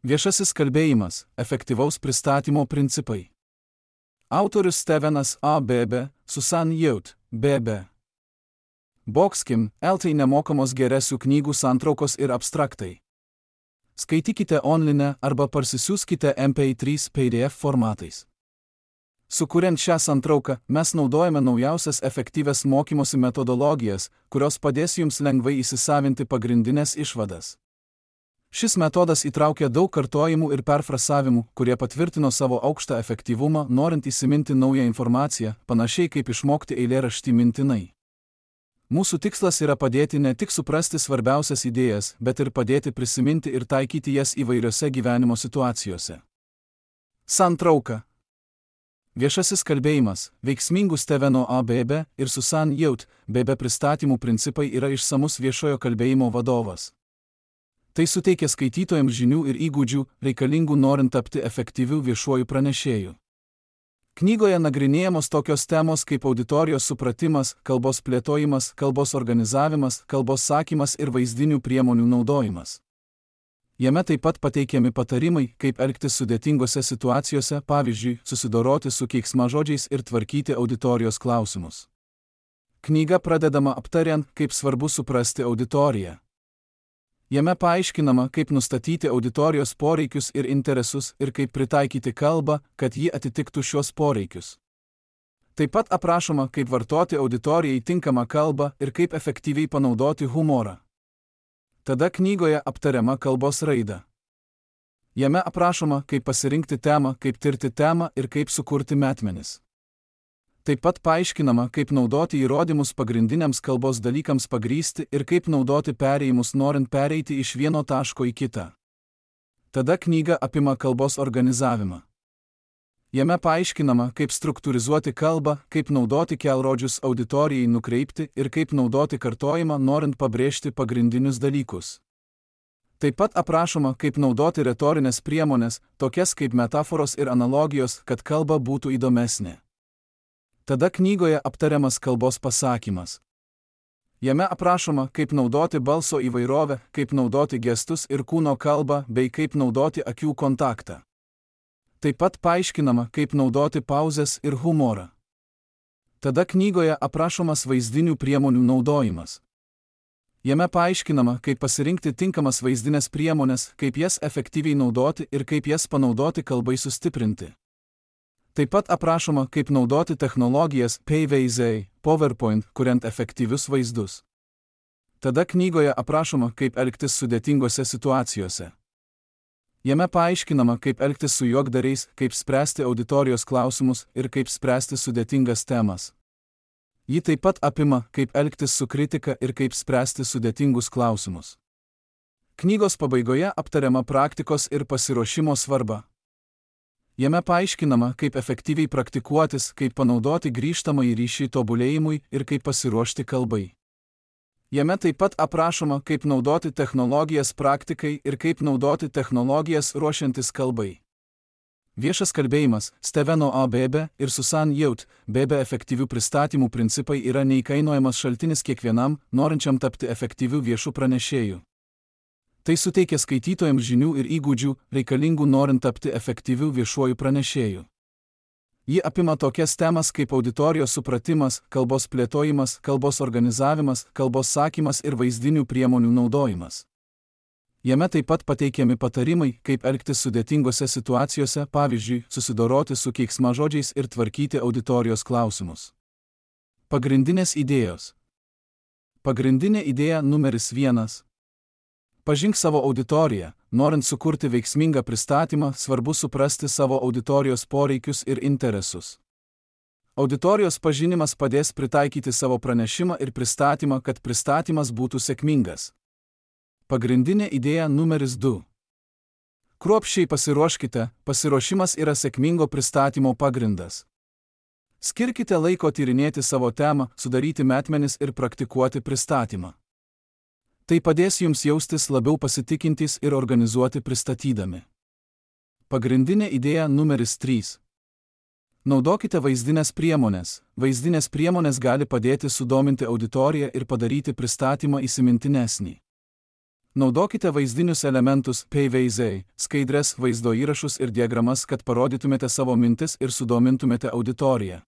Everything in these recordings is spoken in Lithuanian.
Viešasis kalbėjimas – efektyvaus pristatymo principai. Autorius Stevenas A. Bebe, Susan Youth, Bebe. Boxkim, LT nemokamos geresių knygų santraukos ir abstraktai. Skaitykite online arba parsisiųskite MP3 PDF formatais. Sukuriant šią santrauką, mes naudojame naujausias efektyvias mokymosi metodologijas, kurios padės jums lengvai įsisavinti pagrindinės išvadas. Šis metodas įtraukia daug kartojimų ir perfrasavimų, kurie patvirtino savo aukštą efektyvumą, norint įsiminti naują informaciją, panašiai kaip išmokti eilėraštį mintinai. Mūsų tikslas yra padėti ne tik suprasti svarbiausias idėjas, bet ir padėti prisiminti ir taikyti jas įvairiose gyvenimo situacijose. Santrauka. Viešasis kalbėjimas, veiksmingų Steveno A. Bebe ir Susan Youth, Bebe pristatymų principai yra išsamus viešojo kalbėjimo vadovas. Tai suteikia skaitytojams žinių ir įgūdžių, reikalingų norint tapti efektyviu viešuoju pranešėju. Knygoje nagrinėjamos tokios temos kaip auditorijos supratimas, kalbos plėtojimas, kalbos organizavimas, kalbos sakymas ir vaizdinių priemonių naudojimas. Jame taip pat pateikiami patarimai, kaip elgtis sudėtingose situacijose, pavyzdžiui, susidoroti su keiksmažodžiais ir tvarkyti auditorijos klausimus. Knyga pradedama aptariant, kaip svarbu suprasti auditoriją. Jame paaiškinama, kaip nustatyti auditorijos poreikius ir interesus ir kaip pritaikyti kalbą, kad ji atitiktų šios poreikius. Taip pat aprašoma, kaip vartoti auditorijai tinkamą kalbą ir kaip efektyviai panaudoti humorą. Tada knygoje aptariama kalbos raida. Jame aprašoma, kaip pasirinkti temą, kaip tirti temą ir kaip sukurti metmenis. Taip pat paaiškinama, kaip naudoti įrodymus pagrindiniams kalbos dalykams pagrįsti ir kaip naudoti perėjimus norint pereiti iš vieno taško į kitą. Tada knyga apima kalbos organizavimą. Jame paaiškinama, kaip struktūrizuoti kalbą, kaip naudoti kelrodžius auditorijai nukreipti ir kaip naudoti kartojimą norint pabrėžti pagrindinius dalykus. Taip pat aprašoma, kaip naudoti retorinės priemonės, tokias kaip metaforos ir analogijos, kad kalba būtų įdomesnė. Tada knygoje aptariamas kalbos pasakymas. Jame aprašoma, kaip naudoti balso įvairovę, kaip naudoti gestus ir kūno kalbą, bei kaip naudoti akių kontaktą. Taip pat paaiškinama, kaip naudoti pauzes ir humorą. Tada knygoje aprašomas vaizdinių priemonių naudojimas. Jame paaiškinama, kaip pasirinkti tinkamas vaizdinės priemonės, kaip jas efektyviai naudoti ir kaip jas panaudoti kalbai sustiprinti. Taip pat aprašoma, kaip naudoti technologijas PVZ, PowerPoint, kuriant efektyvius vaizdus. Tada knygoje aprašoma, kaip elgtis sudėtingose situacijose. Jame paaiškinama, kaip elgtis su juokdariais, kaip spręsti auditorijos klausimus ir kaip spręsti sudėtingas temas. Ji taip pat apima, kaip elgtis su kritika ir kaip spręsti sudėtingus klausimus. Knygos pabaigoje aptariama praktikos ir pasiruošimo svarba. Jame paaiškinama, kaip efektyviai praktikuotis, kaip panaudoti grįžtamąjį ryšį tobulėjimui ir kaip pasiruošti kalbai. Jame taip pat aprašoma, kaip naudoti technologijas praktikai ir kaip naudoti technologijas ruošiantis kalbai. Viešas kalbėjimas, Steveno A. Bebe ir Susan Youth, Bebe efektyvių pristatymų principai yra neįkainojamas šaltinis kiekvienam, norinčiam tapti efektyviu viešu pranešėju. Tai suteikia skaitytojams žinių ir įgūdžių, reikalingų norint tapti efektyviu viešuoju pranešėju. Ji apima tokias temas kaip auditorijos supratimas, kalbos plėtojimas, kalbos organizavimas, kalbos sakymas ir vaizdinių priemonių naudojimas. Jame taip pat pateikiami patarimai, kaip elgtis sudėtingose situacijose, pavyzdžiui, susidoroti su keiksmažodžiais ir tvarkyti auditorijos klausimus. Pagrindinės idėjos. Pagrindinė idėja numeris 1. Pažink savo auditoriją. Norint sukurti veiksmingą pristatymą, svarbu suprasti savo auditorijos poreikius ir interesus. Auditorijos pažinimas padės pritaikyti savo pranešimą ir pristatymą, kad pristatymas būtų sėkmingas. Pagrindinė idėja numeris 2. Kruopščiai pasiruoškite, pasiruošimas yra sėkmingo pristatymo pagrindas. Skirkite laiko tyrinėti savo temą, sudaryti metmenis ir praktikuoti pristatymą. Tai padės jums jaustis labiau pasitikintys ir organizuoti pristatydami. Pagrindinė idėja numeris 3. Naudokite vaizdinės priemonės. Vaizdinės priemonės gali padėti sudominti auditoriją ir padaryti pristatymą įsimintinesnį. Naudokite vaizdinius elementus, PVZ, skaidres, vaizdo įrašus ir diagramas, kad parodytumėte savo mintis ir sudomintumėte auditoriją.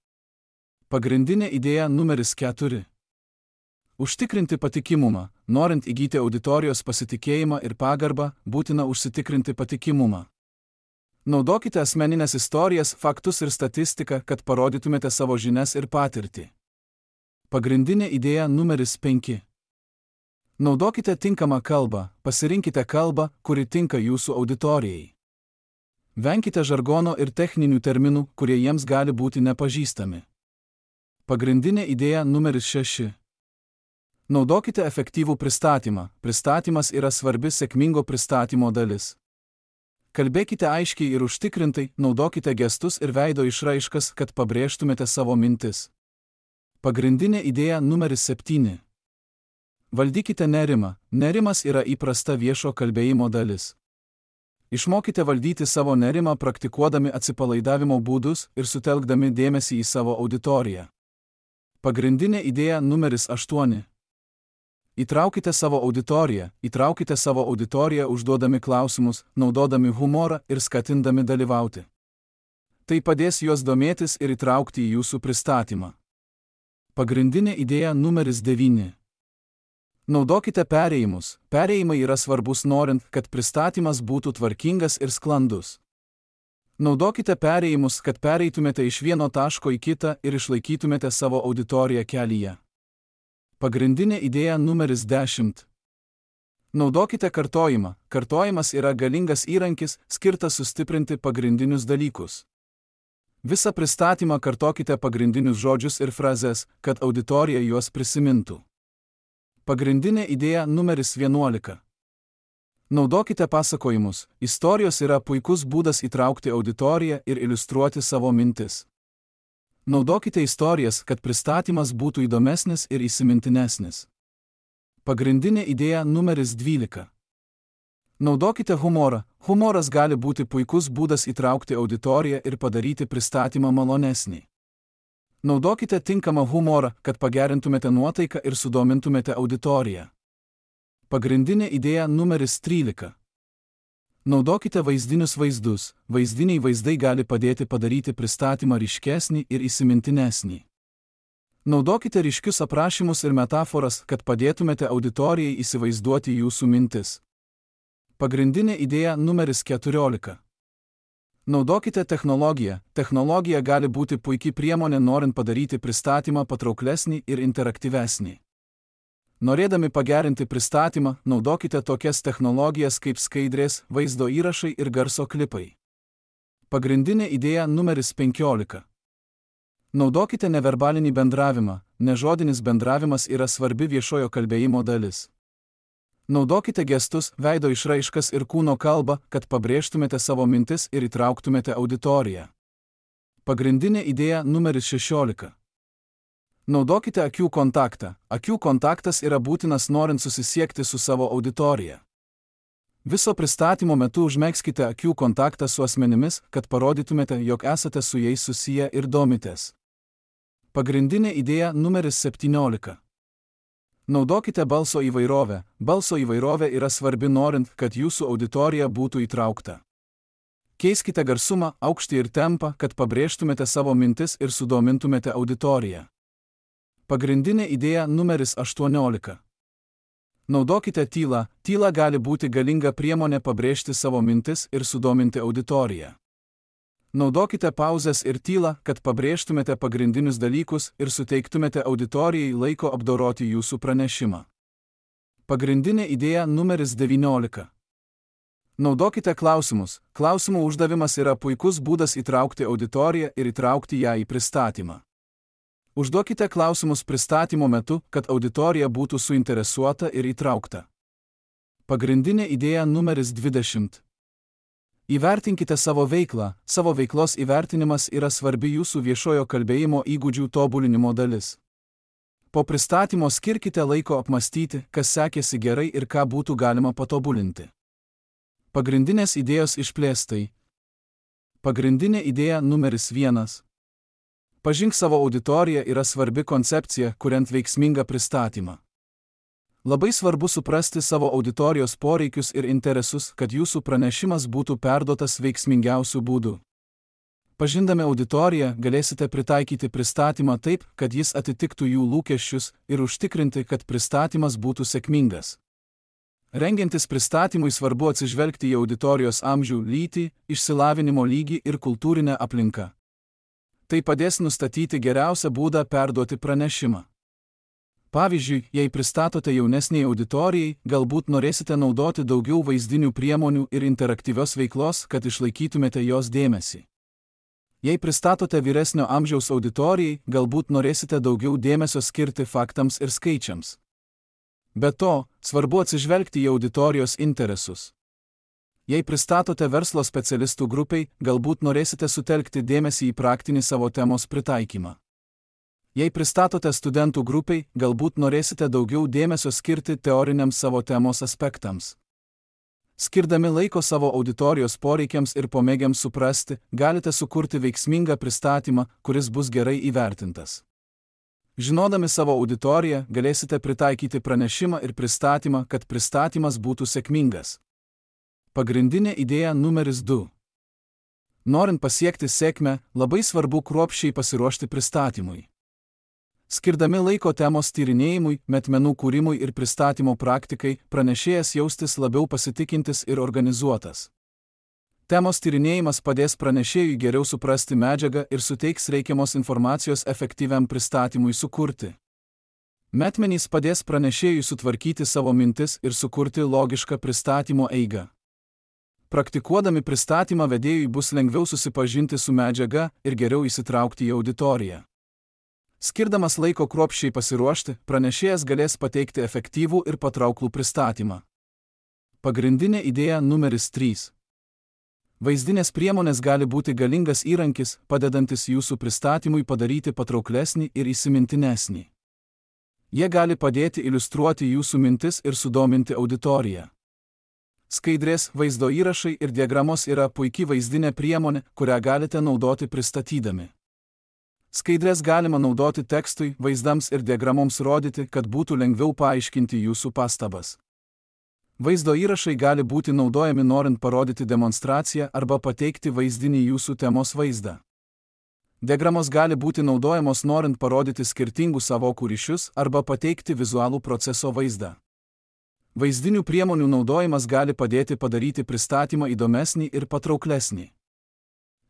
Pagrindinė idėja numeris 4. Užtikrinti patikimumą. Norint įgyti auditorijos pasitikėjimą ir pagarbą, būtina užsitikrinti patikimumą. Naudokite asmeninės istorijas, faktus ir statistiką, kad parodytumėte savo žinias ir patirtį. Pagrindinė idėja numeris 5. Naudokite tinkamą kalbą, pasirinkite kalbą, kuri tinka jūsų auditorijai. Venkite žargono ir techninių terminų, kurie jiems gali būti nepažįstami. Pagrindinė idėja numeris 6. Naudokite efektyvų pristatymą. Pristatymas yra svarbi sėkmingo pristatymo dalis. Kalbėkite aiškiai ir užtikrintai, naudokite gestus ir veido išraiškas, kad pabrėžtumėte savo mintis. Pagrindinė idėja numeris 7. Valdykite nerimą. Nerimas yra įprasta viešo kalbėjimo dalis. Išmokite valdyti savo nerimą praktikuodami atsipalaidavimo būdus ir sutelkdami dėmesį į savo auditoriją. Pagrindinė idėja numeris 8. Įtraukite savo auditoriją užduodami klausimus, naudodami humorą ir skatindami dalyvauti. Tai padės juos domėtis ir įtraukti į jūsų pristatymą. Pagrindinė idėja numeris 9. Naudokite perėjimus. Perėjimai yra svarbus norint, kad pristatymas būtų tvarkingas ir sklandus. Naudokite perėjimus, kad pereitumėte iš vieno taško į kitą ir išlaikytumėte savo auditoriją kelyje. Pagrindinė idėja numeris 10. Naudokite kartojimą. Kartojimas yra galingas įrankis, skirtas sustiprinti pagrindinius dalykus. Visą pristatymą kartokite pagrindinius žodžius ir frazes, kad auditorija juos prisimintų. Pagrindinė idėja numeris 11. Naudokite pasakojimus. Istorijos yra puikus būdas įtraukti auditoriją ir iliustruoti savo mintis. Naudokite istorijas, kad pristatymas būtų įdomesnis ir įsimintinesnis. Pagrindinė idėja numeris 12. Naudokite humorą. Humoras gali būti puikus būdas įtraukti auditoriją ir padaryti pristatymą malonesnį. Naudokite tinkamą humorą, kad pagerintumėte nuotaiką ir sudomintumėte auditoriją. Pagrindinė idėja numeris 13. Naudokite vaizdinius vaizdus. Vaizdiniai vaizdai gali padėti padaryti pristatymą ryškesnį ir įsimintinesnį. Naudokite ryškius aprašymus ir metaforas, kad padėtumėte auditorijai įsivaizduoti jūsų mintis. Pagrindinė idėja numeris 14. Naudokite technologiją. Technologija gali būti puikiai priemonė norint padaryti pristatymą patrauklesnį ir interaktyvesnį. Norėdami pagerinti pristatymą, naudokite tokias technologijas kaip skaidrės, vaizdo įrašai ir garso klipai. Pagrindinė idėja numeris 15. Naudokite neverbalinį bendravimą. Nežodinis bendravimas yra svarbi viešojo kalbėjimo dalis. Naudokite gestus, veido išraiškas ir kūno kalbą, kad pabrėžtumėte savo mintis ir įtrauktumėte auditoriją. Pagrindinė idėja numeris 16. Naudokite akių kontaktą. Akių kontaktas yra būtinas norint susisiekti su savo auditorija. Viso pristatymo metu užmegzkite akių kontaktą su asmenimis, kad parodytumėte, jog esate su jais susiję ir domitės. Pagrindinė idėja numeris 17. Naudokite balso įvairovę. Balso įvairovė yra svarbi norint, kad jūsų auditorija būtų įtraukta. Keiskite garsumą, aukštį ir tempą, kad pabrėžtumėte savo mintis ir sudomintumėte auditoriją. Pagrindinė idėja numeris 18. Naudokite tylą. Tyla gali būti galinga priemonė pabrėžti savo mintis ir sudominti auditoriją. Naudokite pauzes ir tylą, kad pabrėžtumėte pagrindinius dalykus ir suteiktumėte auditorijai laiko apdoroti jūsų pranešimą. Pagrindinė idėja numeris 19. Naudokite klausimus. Klausimų uždavimas yra puikus būdas įtraukti auditoriją ir įtraukti ją į pristatymą. Užduokite klausimus pristatymo metu, kad auditorija būtų suinteresuota ir įtraukta. Pagrindinė idėja numeris 20. Įvertinkite savo veiklą. Savo veiklos įvertinimas yra svarbi jūsų viešojo kalbėjimo įgūdžių tobulinimo dalis. Po pristatymo skirkite laiko apmastyti, kas sekėsi gerai ir ką būtų galima patobulinti. Pagrindinės idėjos išplėstai. Pagrindinė idėja numeris 1. Pažink savo auditoriją yra svarbi koncepcija, kuriant veiksmingą pristatymą. Labai svarbu suprasti savo auditorijos poreikius ir interesus, kad jūsų pranešimas būtų perduotas veiksmingiausiu būdu. Pažindami auditoriją, galėsite pritaikyti pristatymą taip, kad jis atitiktų jų lūkesčius ir užtikrinti, kad pristatymas būtų sėkmingas. Rengiantis pristatymui svarbu atsižvelgti į auditorijos amžių, lytį, išsilavinimo lygį ir kultūrinę aplinką. Tai padės nustatyti geriausią būdą perduoti pranešimą. Pavyzdžiui, jei pristatote jaunesniai auditorijai, galbūt norėsite naudoti daugiau vaizdinių priemonių ir interaktyvios veiklos, kad išlaikytumėte jos dėmesį. Jei pristatote vyresnio amžiaus auditorijai, galbūt norėsite daugiau dėmesio skirti faktams ir skaičiams. Be to, svarbu atsižvelgti į auditorijos interesus. Jei pristatote verslo specialistų grupiai, galbūt norėsite sutelkti dėmesį į praktinį savo temos pritaikymą. Jei pristatote studentų grupiai, galbūt norėsite daugiau dėmesio skirti teoriniams savo temos aspektams. Skirdami laiko savo auditorijos poreikiams ir pomėgiams suprasti, galite sukurti veiksmingą pristatymą, kuris bus gerai įvertintas. Žinodami savo auditoriją, galėsite pritaikyti pranešimą ir pristatymą, kad pristatymas būtų sėkmingas. Pagrindinė idėja numeris 2. Norint pasiekti sėkmę, labai svarbu kruopščiai pasiruošti pristatymui. Skirdami laiko temos tyrinėjimui, metmenų kūrimui ir pristatymo praktikai, pranešėjas jaustis labiau pasitikintis ir organizuotas. Temos tyrinėjimas padės pranešėjui geriau suprasti medžiagą ir suteiks reikiamos informacijos efektyviam pristatymui sukurti. Metmenys padės pranešėjui sutvarkyti savo mintis ir sukurti logišką pristatymo eigą. Praktikuodami pristatymą vedėjui bus lengviau susipažinti su medžiaga ir geriau įsitraukti į auditoriją. Skirdamas laiko kruopščiai pasiruošti, pranešėjas galės pateikti efektyvų ir patrauklų pristatymą. Pagrindinė idėja numeris 3. Vaizdinės priemonės gali būti galingas įrankis, padedantis jūsų pristatymui padaryti patrauklesnį ir įsimintinesnį. Jie gali padėti iliustruoti jūsų mintis ir sudominti auditoriją. Skaidrės, vaizdo įrašai ir diagramos yra puikiai vaizdinė priemonė, kurią galite naudoti pristatydami. Skaidrės galima naudoti tekstui, vaizdams ir diagramoms rodyti, kad būtų lengviau paaiškinti jūsų pastabas. Vaizdo įrašai gali būti naudojami norint parodyti demonstraciją arba pateikti vaizdinį jūsų temos vaizdą. Diagramos gali būti naudojamos norint parodyti skirtingų sąvokų ryšius arba pateikti vizualų proceso vaizdą. Vaizdinių priemonių naudojimas gali padėti padaryti pristatymą įdomesnį ir patrauklesnį.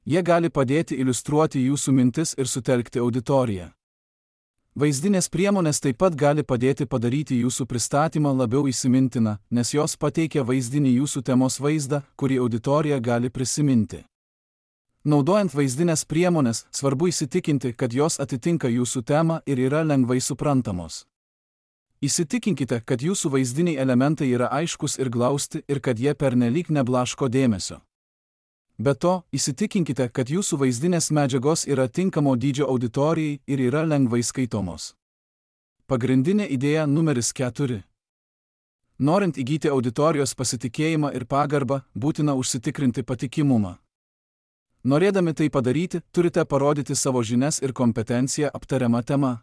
Jie gali padėti iliustruoti jūsų mintis ir sutelkti auditoriją. Vaizdinės priemonės taip pat gali padėti padaryti jūsų pristatymą labiau įsimintiną, nes jos pateikia vaizdinį jūsų temos vaizdą, kurį auditorija gali prisiminti. Naudojant vaizdinės priemonės, svarbu įsitikinti, kad jos atitinka jūsų temą ir yra lengvai suprantamos. Įsitikinkite, kad jūsų vaizdiniai elementai yra aiškus ir glausti ir kad jie pernelyg neblaško dėmesio. Be to, įsitikinkite, kad jūsų vaizdinės medžiagos yra tinkamo dydžio auditorijai ir yra lengvai skaitomos. Pagrindinė idėja numeris 4. Norint įgyti auditorijos pasitikėjimą ir pagarbą, būtina užsitikrinti patikimumą. Norėdami tai padaryti, turite parodyti savo žinias ir kompetenciją aptariama tema.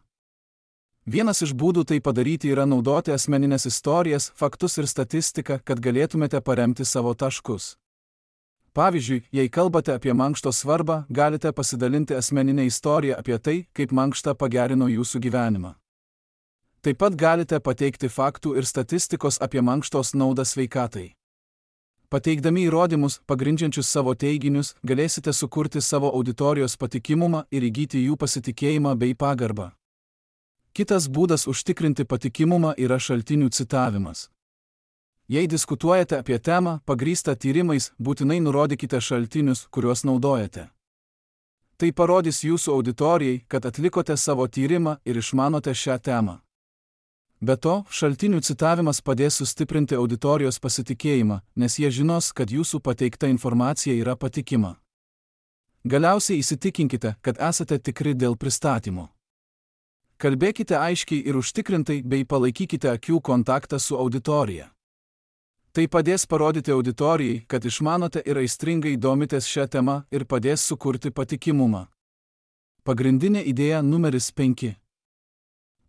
Vienas iš būdų tai padaryti yra naudoti asmeninės istorijas, faktus ir statistiką, kad galėtumėte paremti savo taškus. Pavyzdžiui, jei kalbate apie mankšto svarbą, galite pasidalinti asmeninę istoriją apie tai, kaip mankšta pagerino jūsų gyvenimą. Taip pat galite pateikti faktų ir statistikos apie mankštos naudą sveikatai. Pateikdami įrodymus, pagrindžiančius savo teiginius, galėsite sukurti savo auditorijos patikimumą ir įgyti jų pasitikėjimą bei pagarbą. Kitas būdas užtikrinti patikimumą yra šaltinių citavimas. Jei diskutuojate apie temą, pagrįstą tyrimais, būtinai nurodykite šaltinius, kuriuos naudojate. Tai parodys jūsų auditorijai, kad atlikote savo tyrimą ir išmanote šią temą. Be to, šaltinių citavimas padės sustiprinti auditorijos pasitikėjimą, nes jie žinos, kad jūsų pateikta informacija yra patikima. Galiausiai įsitikinkite, kad esate tikri dėl pristatymo. Kalbėkite aiškiai ir užtikrintai bei palaikykite akių kontaktą su auditorija. Tai padės parodyti auditorijai, kad išmanote ir aistringai domitės šią temą ir padės sukurti patikimumą. Pagrindinė idėja numeris 5.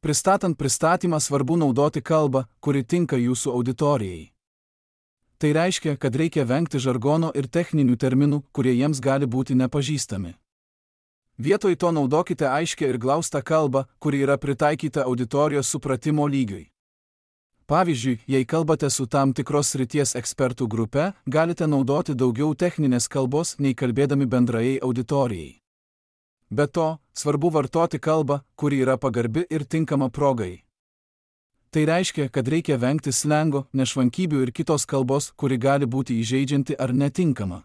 Pristatant pristatymą svarbu naudoti kalbą, kuri tinka jūsų auditorijai. Tai reiškia, kad reikia vengti žargono ir techninių terminų, kurie jiems gali būti nepažįstami. Vietoj to naudokite aiškią ir glaustą kalbą, kuri yra pritaikyta auditorijos supratimo lygiui. Pavyzdžiui, jei kalbate su tam tikros srities ekspertų grupe, galite naudoti daugiau techninės kalbos, nei kalbėdami bendrai auditorijai. Be to, svarbu vartoti kalbą, kuri yra pagarbi ir tinkama progai. Tai reiškia, kad reikia vengti slengo, nešvankybių ir kitos kalbos, kuri gali būti įžeidžianti ar netinkama.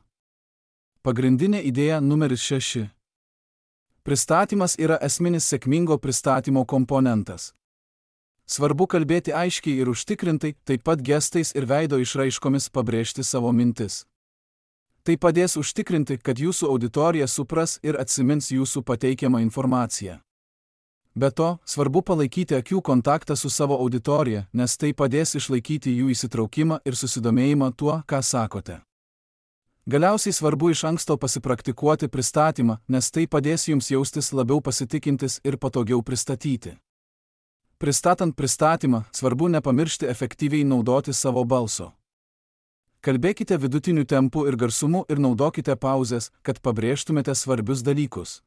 Pagrindinė idėja numeris 6. Pristatymas yra esminis sėkmingo pristatymo komponentas. Svarbu kalbėti aiškiai ir užtikrintai, taip pat gestais ir veido išraiškomis pabrėžti savo mintis. Tai padės užtikrinti, kad jūsų auditorija supras ir atsimins jūsų pateikiamą informaciją. Be to, svarbu palaikyti akių kontaktą su savo auditorija, nes tai padės išlaikyti jų įsitraukimą ir susidomėjimą tuo, ką sakote. Galiausiai svarbu iš anksto pasipraktikuoti pristatymą, nes tai padės jums jaustis labiau pasitikintis ir patogiau pristatyti. Pristatant pristatymą, svarbu nepamiršti efektyviai naudoti savo balso. Kalbėkite vidutiniu tempu ir garsumu ir naudokite pauzes, kad pabrėžtumėte svarbius dalykus.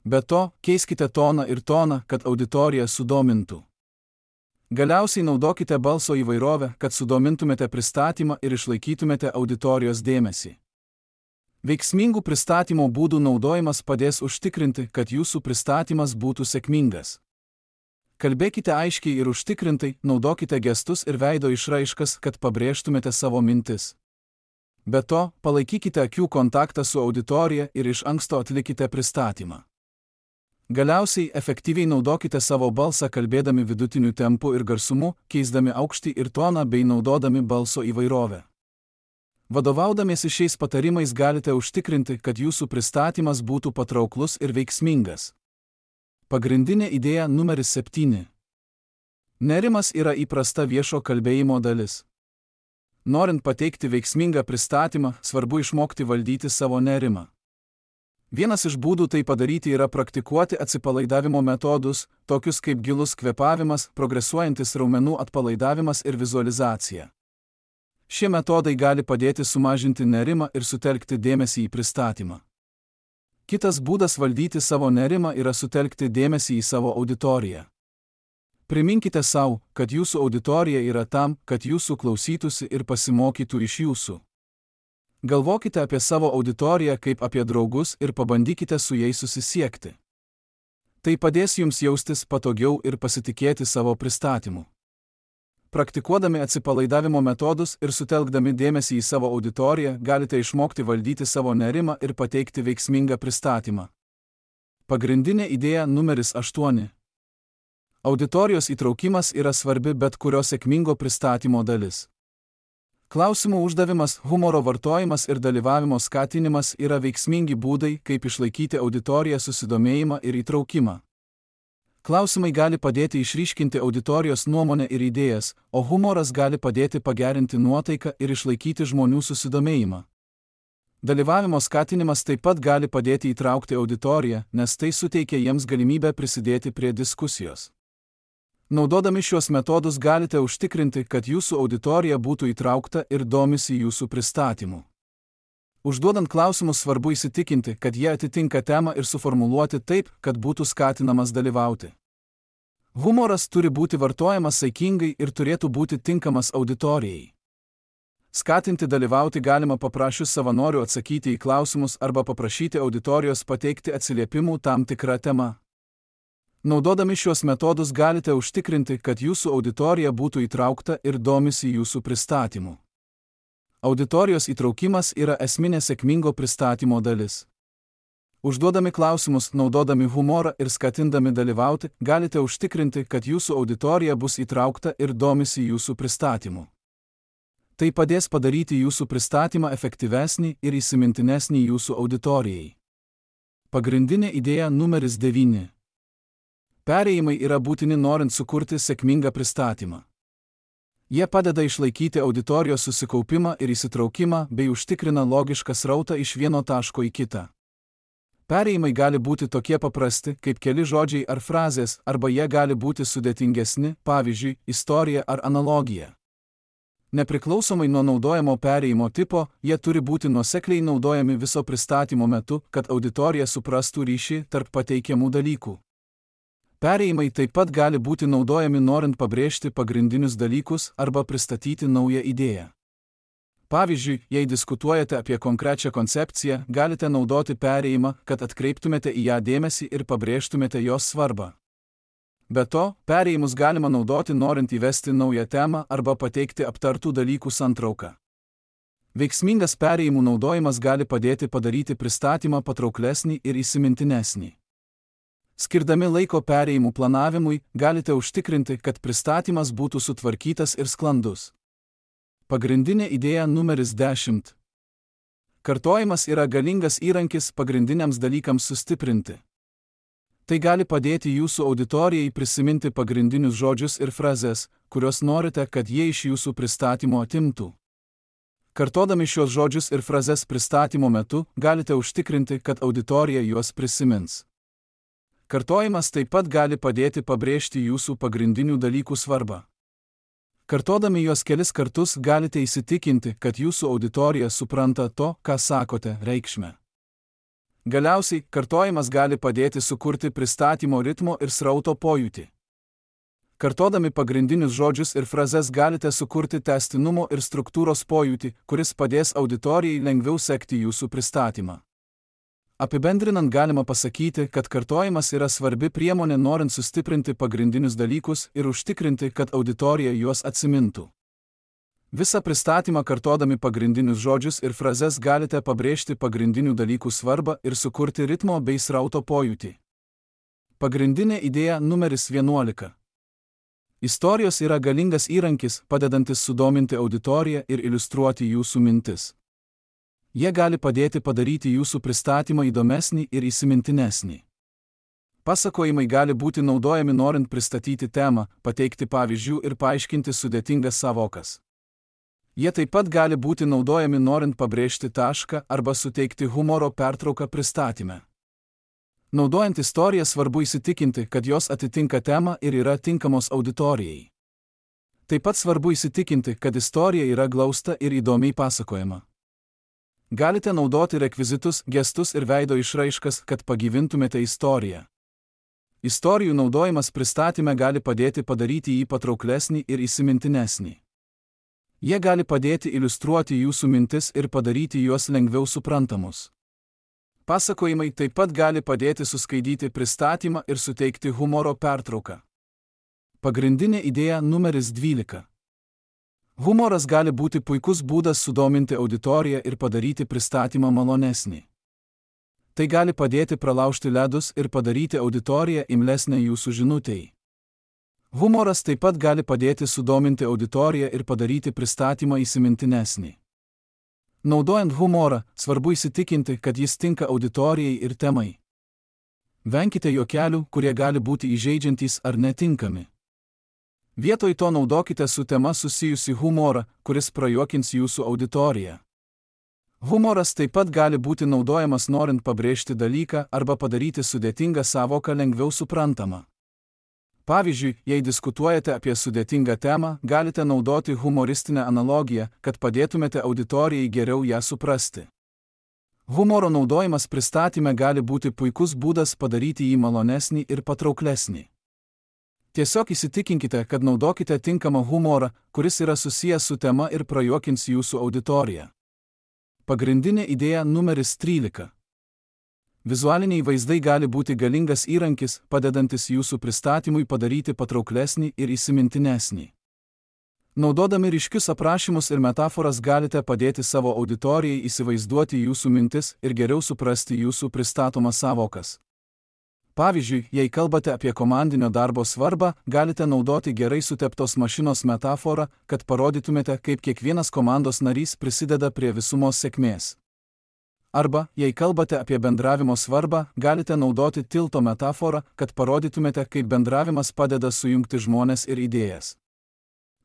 Be to, keiskite toną ir toną, kad auditorija sudomintų. Galiausiai naudokite balso įvairovę, kad sudomintumėte pristatymą ir išlaikytumėte auditorijos dėmesį. Veiksmingų pristatymo būdų naudojimas padės užtikrinti, kad jūsų pristatymas būtų sėkmingas. Kalbėkite aiškiai ir užtikrintai, naudokite gestus ir veido išraiškas, kad pabrėžtumėte savo mintis. Be to, palaikykite akių kontaktą su auditorija ir iš anksto atlikite pristatymą. Galiausiai efektyviai naudokite savo balsą kalbėdami vidutiniu tempu ir garsumu, keisdami aukštį ir toną bei naudodami balso įvairovę. Vadovaudamiesi šiais patarimais galite užtikrinti, kad jūsų pristatymas būtų patrauklus ir veiksmingas. Pagrindinė idėja numeris 7. Nerimas yra įprasta viešo kalbėjimo dalis. Norint pateikti veiksmingą pristatymą, svarbu išmokti valdyti savo nerimą. Vienas iš būdų tai padaryti yra praktikuoti atsipalaidavimo metodus, tokius kaip gilus kvėpavimas, progresuojantis raumenų atpalaidavimas ir vizualizacija. Šie metodai gali padėti sumažinti nerimą ir sutelkti dėmesį į pristatymą. Kitas būdas valdyti savo nerimą yra sutelkti dėmesį į savo auditoriją. Priminkite sau, kad jūsų auditorija yra tam, kad jūsų klausytųsi ir pasimokytų iš jūsų. Galvokite apie savo auditoriją kaip apie draugus ir pabandykite su jais susisiekti. Tai padės jums jaustis patogiau ir pasitikėti savo pristatymu. Praktikuodami atsipalaidavimo metodus ir sutelkdami dėmesį į savo auditoriją, galite išmokti valdyti savo nerimą ir pateikti veiksmingą pristatymą. Pagrindinė idėja numeris 8. Auditorijos įtraukimas yra svarbi bet kurio sėkmingo pristatymo dalis. Klausimų uždavimas, humoro vartojimas ir dalyvavimo skatinimas yra veiksmingi būdai, kaip išlaikyti auditoriją susidomėjimą ir įtraukimą. Klausimai gali padėti išryškinti auditorijos nuomonę ir idėjas, o humoras gali padėti pagerinti nuotaiką ir išlaikyti žmonių susidomėjimą. Dalyvavimo skatinimas taip pat gali padėti įtraukti auditoriją, nes tai suteikia jiems galimybę prisidėti prie diskusijos. Naudodami šios metodus galite užtikrinti, kad jūsų auditorija būtų įtraukta ir domisi jūsų pristatymu. Užduodant klausimus svarbu įsitikinti, kad jie atitinka temą ir suformuluoti taip, kad būtų skatinamas dalyvauti. Humoras turi būti vartojamas saikingai ir turėtų būti tinkamas auditorijai. Skatinti dalyvauti galima paprašius savanorių atsakyti į klausimus arba paprašyti auditorijos pateikti atsiliepimų tam tikrą temą. Naudodami šios metodus galite užtikrinti, kad jūsų auditorija būtų įtraukta ir domisi jūsų pristatymu. Auditorijos įtraukimas yra esminė sėkmingo pristatymo dalis. Užduodami klausimus, naudodami humorą ir skatindami dalyvauti, galite užtikrinti, kad jūsų auditorija bus įtraukta ir domisi jūsų pristatymu. Tai padės padaryti jūsų pristatymą efektyvesnį ir įsimintinesnį jūsų auditorijai. Pagrindinė idėja numeris 9. Perėjimai yra būtini norint sukurti sėkmingą pristatymą. Jie padeda išlaikyti auditorijos susikaupimą ir įsitraukimą bei užtikrina logišką srautą iš vieno taško į kitą. Perėjimai gali būti tokie paprasti, kaip keli žodžiai ar frazės, arba jie gali būti sudėtingesni, pavyzdžiui, istorija ar analogija. Nepriklausomai nuo naudojamo perėjimo tipo, jie turi būti nuosekliai naudojami viso pristatymo metu, kad auditorija suprastų ryšį tarp pateikiamų dalykų. Perėjimai taip pat gali būti naudojami norint pabrėžti pagrindinius dalykus arba pristatyti naują idėją. Pavyzdžiui, jei diskutuojate apie konkrečią koncepciją, galite naudoti perėjimą, kad atkreiptumėte į ją dėmesį ir pabrėžtumėte jos svarbą. Be to, perėjimus galima naudoti norint įvesti naują temą arba pateikti aptartų dalykų santrauką. Veiksmingas perėjimų naudojimas gali padėti padaryti pristatymą patrauklesnį ir įsimintinesnį. Skirdami laiko perėjimų planavimui, galite užtikrinti, kad pristatymas būtų sutvarkytas ir sklandus. Pagrindinė idėja numeris 10. Kartojimas yra galingas įrankis pagrindiniams dalykams sustiprinti. Tai gali padėti jūsų auditorijai prisiminti pagrindinius žodžius ir frazes, kuriuos norite, kad jie iš jūsų pristatymo atimtų. Kartodami šios žodžius ir frazes pristatymo metu, galite užtikrinti, kad auditorija juos prisimins. Kartojimas taip pat gali padėti pabrėžti jūsų pagrindinių dalykų svarbą. Kartodami juos kelis kartus galite įsitikinti, kad jūsų auditorija supranta to, ką sakote, reikšmę. Galiausiai, kartojimas gali padėti sukurti pristatymo ritmo ir srauto pojūtį. Kartodami pagrindinius žodžius ir frazes galite sukurti tęstinumo ir struktūros pojūtį, kuris padės auditorijai lengviau sekti jūsų pristatymą. Apibendrinant galima pasakyti, kad kartojimas yra svarbi priemonė norint sustiprinti pagrindinius dalykus ir užtikrinti, kad auditorija juos atsimintų. Visą pristatymą kartodami pagrindinius žodžius ir frazes galite pabrėžti pagrindinių dalykų svarbą ir sukurti ritmo bei srauto pojūtį. Pagrindinė idėja numeris 11. Istorijos yra galingas įrankis, padedantis sudominti auditoriją ir iliustruoti jūsų mintis. Jie gali padėti padaryti jūsų pristatymą įdomesnį ir įsimintinesnį. Pasakojimai gali būti naudojami norint pristatyti temą, pateikti pavyzdžių ir paaiškinti sudėtingas sąvokas. Jie taip pat gali būti naudojami norint pabrėžti tašką arba suteikti humoro pertrauką pristatyme. Naudojant istoriją svarbu įsitikinti, kad jos atitinka temą ir yra tinkamos auditorijai. Taip pat svarbu įsitikinti, kad istorija yra glausta ir įdomiai pasakojama. Galite naudoti rekvizitus, gestus ir veido išraiškas, kad pagyvintumėte istoriją. Istorijų naudojimas pristatyme gali padėti padaryti jį patrauklesnį ir įsimintinesnį. Jie gali padėti iliustruoti jūsų mintis ir padaryti juos lengviau suprantamus. Pasakojimai taip pat gali padėti suskaidyti pristatymą ir suteikti humoro pertrauką. Pagrindinė idėja numeris 12. Humoras gali būti puikus būdas sudominti auditoriją ir padaryti pristatymą malonesnį. Tai gali padėti pralaužti ledus ir padaryti auditoriją imlesnę jūsų žinutei. Humoras taip pat gali padėti sudominti auditoriją ir padaryti pristatymą įsimintinesnį. Naudojant humorą, svarbu įsitikinti, kad jis tinka auditorijai ir temai. Venkite juokelių, kurie gali būti įžeidžiantys ar netinkami. Vietoj to naudokite su tema susijusi humorą, kuris prajuokins jūsų auditoriją. Humoras taip pat gali būti naudojamas norint pabrėžti dalyką arba padaryti sudėtingą sąvoką lengviau suprantamą. Pavyzdžiui, jei diskutuojate apie sudėtingą temą, galite naudoti humoristinę analogiją, kad padėtumėte auditorijai geriau ją suprasti. Humoro naudojimas pristatyme gali būti puikus būdas padaryti jį malonesnį ir patrauklesnį. Tiesiog įsitikinkite, kad naudokite tinkamą humorą, kuris yra susijęs su tema ir prajuokins jūsų auditoriją. Pagrindinė idėja numeris 13. Vizualiniai vaizdai gali būti galingas įrankis, padedantis jūsų pristatymui padaryti patrauklesnį ir įsimintinesnį. Naudodami ryškius aprašymus ir metaforas galite padėti savo auditorijai įsivaizduoti jūsų mintis ir geriau suprasti jūsų pristatomas sąvokas. Pavyzdžiui, jei kalbate apie komandinio darbo svarbą, galite naudoti gerai suteptos mašinos metaforą, kad parodytumėte, kaip kiekvienas komandos narys prisideda prie visumos sėkmės. Arba, jei kalbate apie bendravimo svarbą, galite naudoti tilto metaforą, kad parodytumėte, kaip bendravimas padeda sujungti žmones ir idėjas.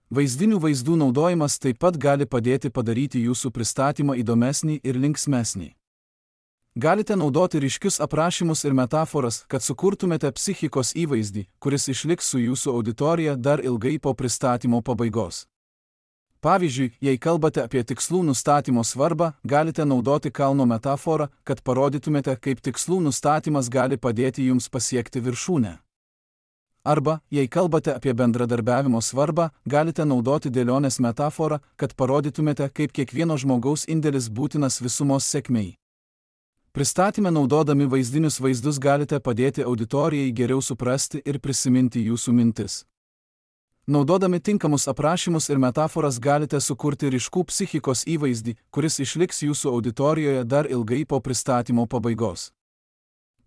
Vaizdinių vaizdų naudojimas taip pat gali padėti padaryti jūsų pristatymą įdomesnį ir linksmesnį. Galite naudoti ryškius aprašymus ir metaforas, kad sukurtumėte psichikos įvaizdį, kuris išliks su jūsų auditorija dar ilgai po pristatymo pabaigos. Pavyzdžiui, jei kalbate apie tikslų nustatymo svarbą, galite naudoti kalno metaforą, kad parodytumėte, kaip tikslų nustatymas gali padėti jums pasiekti viršūnę. Arba, jei kalbate apie bendradarbiavimo svarbą, galite naudoti dėlionės metaforą, kad parodytumėte, kaip kiekvieno žmogaus indėlis būtinas visumos sėkmei. Pristatyme naudodami vaizdinius vaizdus galite padėti auditorijai geriau suprasti ir prisiminti jūsų mintis. Naudodami tinkamus aprašymus ir metaforas galite sukurti ryškų psichikos įvaizdį, kuris išliks jūsų auditorijoje dar ilgai po pristatymo pabaigos.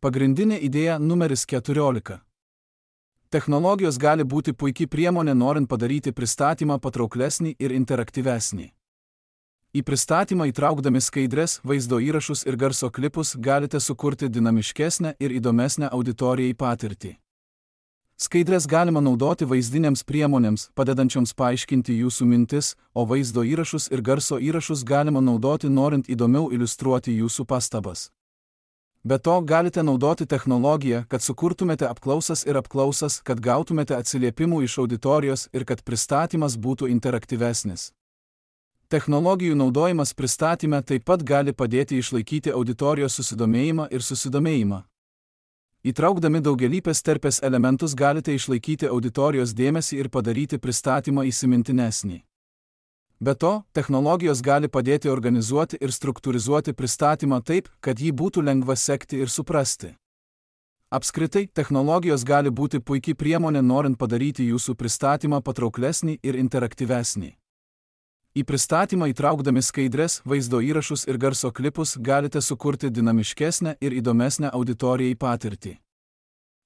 Pagrindinė idėja numeris 14. Technologijos gali būti puikiai priemonė norint padaryti pristatymą patrauklesnį ir interaktyvesnį. Į pristatymą įtraukdami skaidres, vaizdo įrašus ir garso klipus galite sukurti dinamiškesnę ir įdomesnę auditorijai patirtį. Skaidres galima naudoti vaizdinėms priemonėms, padedančioms paaiškinti jūsų mintis, o vaizdo įrašus ir garso įrašus galima naudoti norint įdomiau iliustruoti jūsų pastabas. Be to, galite naudoti technologiją, kad sukurtumėte apklausas, kad gautumėte atsiliepimų iš auditorijos ir kad pristatymas būtų interaktyvesnis. Technologijų naudojimas pristatyme taip pat gali padėti išlaikyti auditorijos susidomėjimą. Įtraukdami daugialypės terpės elementus galite išlaikyti auditorijos dėmesį ir padaryti pristatymą įsimintinesnį. Be to, technologijos gali padėti organizuoti ir struktūrizuoti pristatymą taip, kad jį būtų lengva sekti ir suprasti. Apskritai, technologijos gali būti puikiai priemonė norint padaryti jūsų pristatymą patrauklesnį ir interaktyvesnį. Į pristatymą įtraukdami skaidres, vaizdo įrašus ir garso klipus galite sukurti dinamiškesnę ir įdomesnę auditorijai patirtį.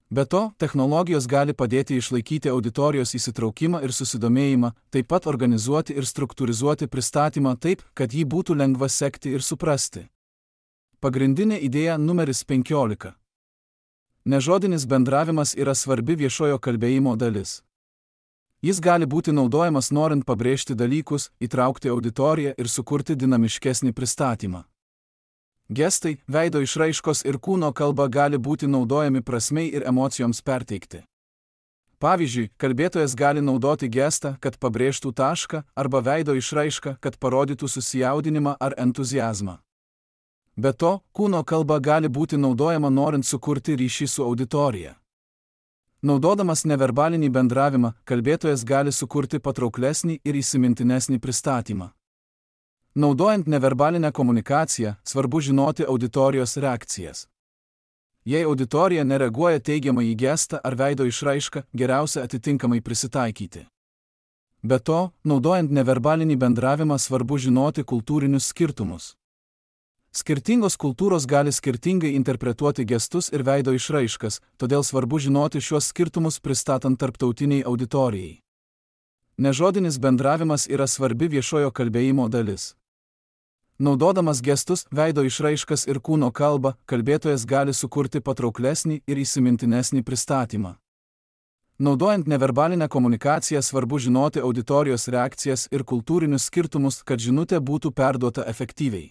Be to, technologijos gali padėti išlaikyti auditorijos įsitraukimą ir susidomėjimą, taip pat organizuoti ir struktūrizuoti pristatymą taip, kad jį būtų lengva sekti ir suprasti. Pagrindinė idėja numeris 15. Nežodinis bendravimas yra svarbi viešojo kalbėjimo dalis. Jis gali būti naudojamas norint pabrėžti dalykus, įtraukti auditoriją ir sukurti dinamiškesnį pristatymą. Gestai, veido išraiškos ir kūno kalba gali būti naudojami prasmei ir emocijoms perteikti. Pavyzdžiui, kalbėtojas gali naudoti gestą, kad pabrėžtų tašką, arba veido išraišką, kad parodytų susijaudinimą ar entuziazmą. Be to, kūno kalba gali būti naudojama norint sukurti ryšį su auditorija. Naudodamas neverbalinį bendravimą, kalbėtojas gali sukurti patrauklesnį ir įsimintinesnį pristatymą. Naudojant neverbalinę komunikaciją, svarbu žinoti auditorijos reakcijas. Jei auditorija nereaguoja teigiamai į gestą ar veido išraišką, geriausia atitinkamai prisitaikyti. Be to, naudojant neverbalinį bendravimą svarbu žinoti kultūrinius skirtumus. Skirtingos kultūros gali skirtingai interpretuoti gestus ir veido išraiškas, todėl svarbu žinoti šiuos skirtumus pristatant tarptautiniai auditorijai. Nežodinis bendravimas yra svarbi viešojo kalbėjimo dalis. Naudodamas gestus, veido išraiškas ir kūno kalbą, kalbėtojas gali sukurti patrauklesnį ir įsimintinesnį pristatymą. Naudojant neverbalinę komunikaciją svarbu žinoti auditorijos reakcijas ir kultūrinius skirtumus, kad žinutė būtų perduota efektyviai.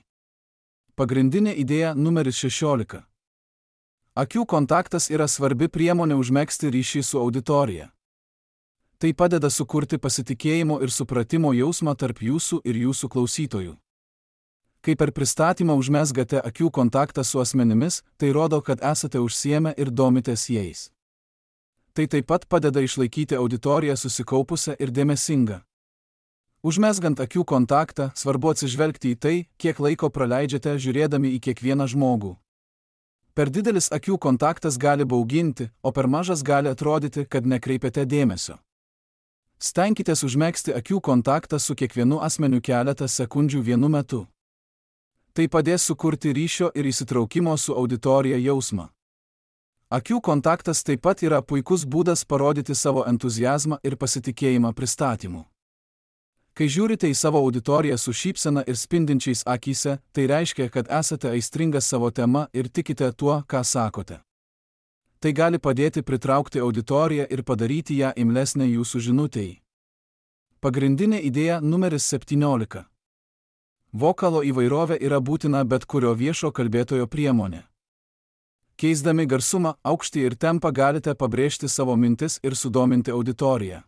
Pagrindinė idėja numeris 16. Akių kontaktas yra svarbi priemonė užmegzti ryšį su auditorija. Tai padeda sukurti pasitikėjimo ir supratimo jausmą tarp jūsų ir jūsų klausytojų. Kai per pristatymą užmezgate akių kontaktą su asmenimis, tai rodo, kad esate užsiėmę ir domitės jais. Tai taip pat padeda išlaikyti auditoriją susikaupusią ir dėmesingą. Užmezgant akių kontaktą, svarbu atsižvelgti į tai, kiek laiko praleidžiate žiūrėdami į kiekvieną žmogų. Per didelis akių kontaktas gali bauginti, o per mažas gali atrodyti, kad nekreipiate dėmesio. Stenkitės užmegzti akių kontaktą su kiekvienu asmeniu keletą sekundžių vienu metu. Tai padės sukurti ryšio ir įsitraukimo su auditorija jausmą. Akių kontaktas taip pat yra puikus būdas parodyti savo entuziazmą ir pasitikėjimą pristatymu. Kai žiūrite į savo auditoriją su šypsena ir spindinčiais akyse, tai reiškia, kad esate aistringas savo tema ir tikite tuo, ką sakote. Tai gali padėti pritraukti auditoriją ir padaryti ją imlesnę jūsų žinutei. Pagrindinė idėja numeris 17. Vokalo įvairovė yra būtina bet kurio viešo kalbėtojo priemonė. Keisdami garsumą, aukštį ir tempą galite pabrėžti savo mintis ir sudominti auditoriją.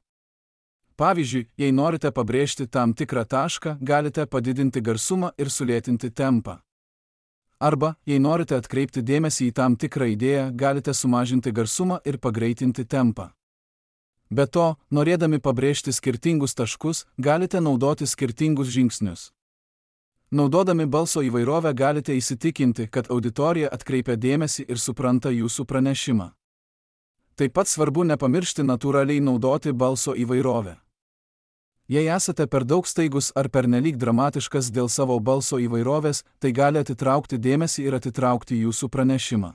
Pavyzdžiui, jei norite pabrėžti tam tikrą tašką, galite padidinti garsumą ir sulėtinti tempą. Arba, jei norite atkreipti dėmesį į tam tikrą idėją, galite sumažinti garsumą ir pagreitinti tempą. Be to, norėdami pabrėžti skirtingus taškus, galite naudoti skirtingus žingsnius. Naudodami balso įvairovę galite įsitikinti, kad auditorija atkreipia dėmesį ir supranta jūsų pranešimą. Taip pat svarbu nepamiršti natūraliai naudoti balso įvairovę. Jei esate per daug staigus ar pernelyg dramatiškas dėl savo balso įvairovės, tai gali atitraukti dėmesį ir atitraukti jūsų pranešimą.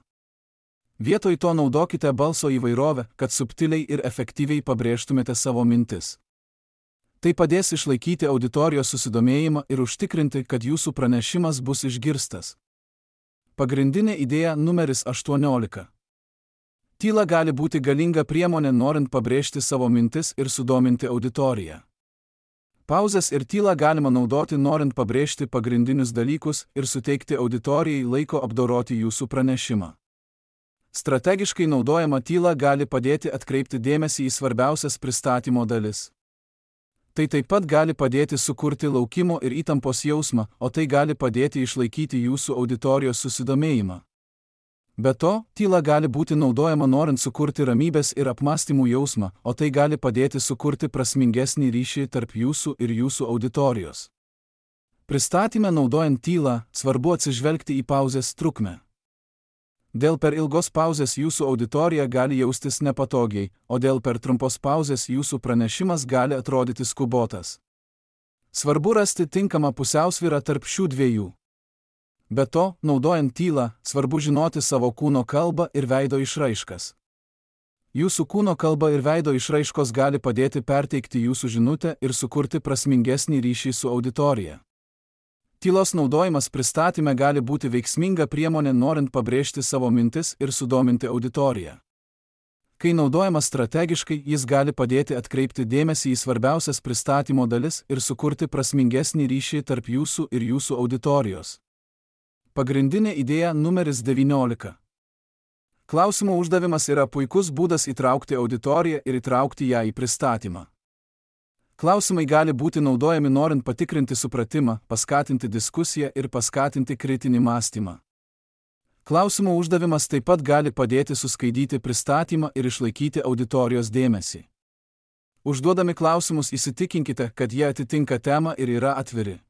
Vietoj to naudokite balso įvairovę, kad subtiliai ir efektyviai pabrėžtumėte savo mintis. Tai padės išlaikyti auditorijos susidomėjimą ir užtikrinti, kad jūsų pranešimas bus išgirstas. Pagrindinė idėja numeris 18. Tyla gali būti galinga priemonė norint pabrėžti savo mintis ir sudominti auditoriją. Pauzes ir tylą galima naudoti norint pabrėžti pagrindinius dalykus ir suteikti auditorijai laiko apdoroti jūsų pranešimą. Strategiškai naudojama tyla gali padėti atkreipti dėmesį į svarbiausias pristatymo dalis. Tai taip pat gali padėti sukurti laukimo ir įtampos jausmą, o tai gali padėti išlaikyti jūsų auditorijos susidomėjimą. Be to, tyla gali būti naudojama norint sukurti ramybės ir apmąstymų jausmą, o tai gali padėti sukurti prasmingesnį ryšį tarp jūsų ir jūsų auditorijos. Pristatyme naudojant tylą, svarbu atsižvelgti į pauzės trukmę. Dėl per ilgos pauzės jūsų auditorija gali jaustis nepatogiai, o dėl per trumpos pauzės jūsų pranešimas gali atrodyti skubotas. Svarbu rasti tinkamą pusiausvyrą tarp šių dviejų. Be to, naudojant tylą, svarbu žinoti savo kūno kalbą ir veido išraiškas. Jūsų kūno kalba ir veido išraiškos gali padėti perteikti jūsų žinutę ir sukurti prasmingesnį ryšį su auditorija. Tylos naudojimas pristatyme gali būti veiksminga priemonė norint pabrėžti savo mintis ir sudominti auditoriją. Kai naudojamas strategiškai, jis gali padėti atkreipti dėmesį į svarbiausias pristatymo dalis ir sukurti prasmingesnį ryšį tarp jūsų ir jūsų auditorijos. Pagrindinė idėja numeris 19. Klausimo uždavimas yra puikus būdas įtraukti auditoriją ir įtraukti ją į pristatymą. Klausimai gali būti naudojami norint patikrinti supratimą, paskatinti diskusiją ir paskatinti kritinį mąstymą. Klausimo uždavimas taip pat gali padėti suskaidyti pristatymą ir išlaikyti auditorijos dėmesį. Užduodami klausimus įsitikinkite, kad jie atitinka temą ir yra atviri.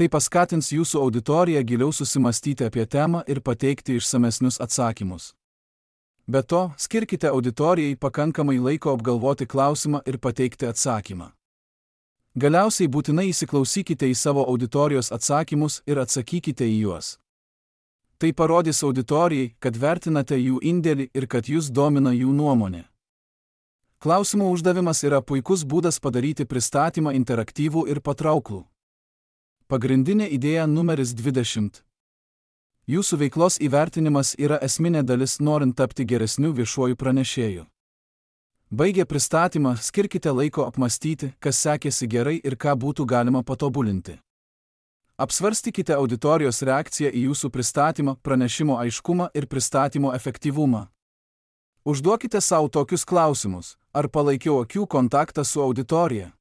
Tai paskatins jūsų auditoriją giliau susimastyti apie temą ir pateikti išsamesnius atsakymus. Be to, skirkite auditorijai pakankamai laiko apgalvoti klausimą ir pateikti atsakymą. Galiausiai būtinai įsiklausykite į savo auditorijos atsakymus ir atsakykite į juos. Tai parodys auditorijai, kad vertinate jų indėlį ir kad jūs domina jų nuomonė. Klausimo uždavimas yra puikus būdas padaryti pristatymą interaktyvų ir patrauklų. Pagrindinė idėja numeris 20. Jūsų veiklos įvertinimas yra esminė dalis norint tapti geresniu viešuoju pranešėju. Baigę pristatymą, skirkite laiko apmąstyti, kas sekėsi gerai ir ką būtų galima patobulinti. Apsvarstykite auditorijos reakciją į jūsų pristatymą, pranešimo aiškumą ir pristatymo efektyvumą. Užduokite savo tokius klausimus: ar palaikiau akių kontaktą su auditorija?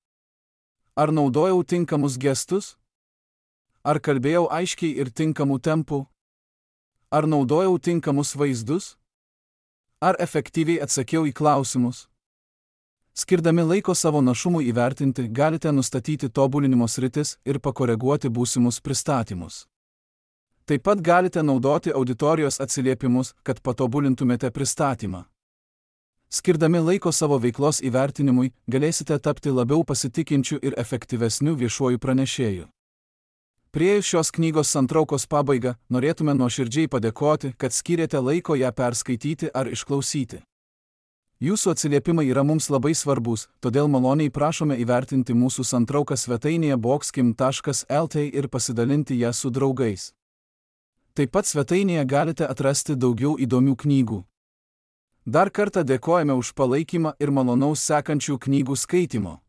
Ar naudojau tinkamus gestus? Ar kalbėjau aiškiai ir tinkamų tempų? Ar naudojau tinkamus vaizdus? Ar efektyviai atsakiau į klausimus? Skirdami laiko savo našumui įvertinti, galite nustatyti tobulinimo sritis ir pakoreguoti būsimus pristatymus. Taip pat galite naudoti auditorijos atsiliepimus, kad patobulintumėte pristatymą. Skirdami laiko savo veiklos įvertinimui, galėsite tapti labiau pasitikinčiu ir efektyvesniu viešuoju pranešėju. Priėjus šios knygos santraukos pabaigą, norėtume nuoširdžiai padėkoti, kad skyrėte laiko ją perskaityti ar išklausyti. Jūsų atsiliepimai yra mums labai svarbus, todėl maloniai prašome įvertinti mūsų santrauką svetainėje boxkim.lt ir pasidalinti ją su draugais. Taip pat svetainėje galite atrasti daugiau įdomių knygų. Dar kartą dėkojame už palaikymą ir malonaus sekančių knygų skaitimo.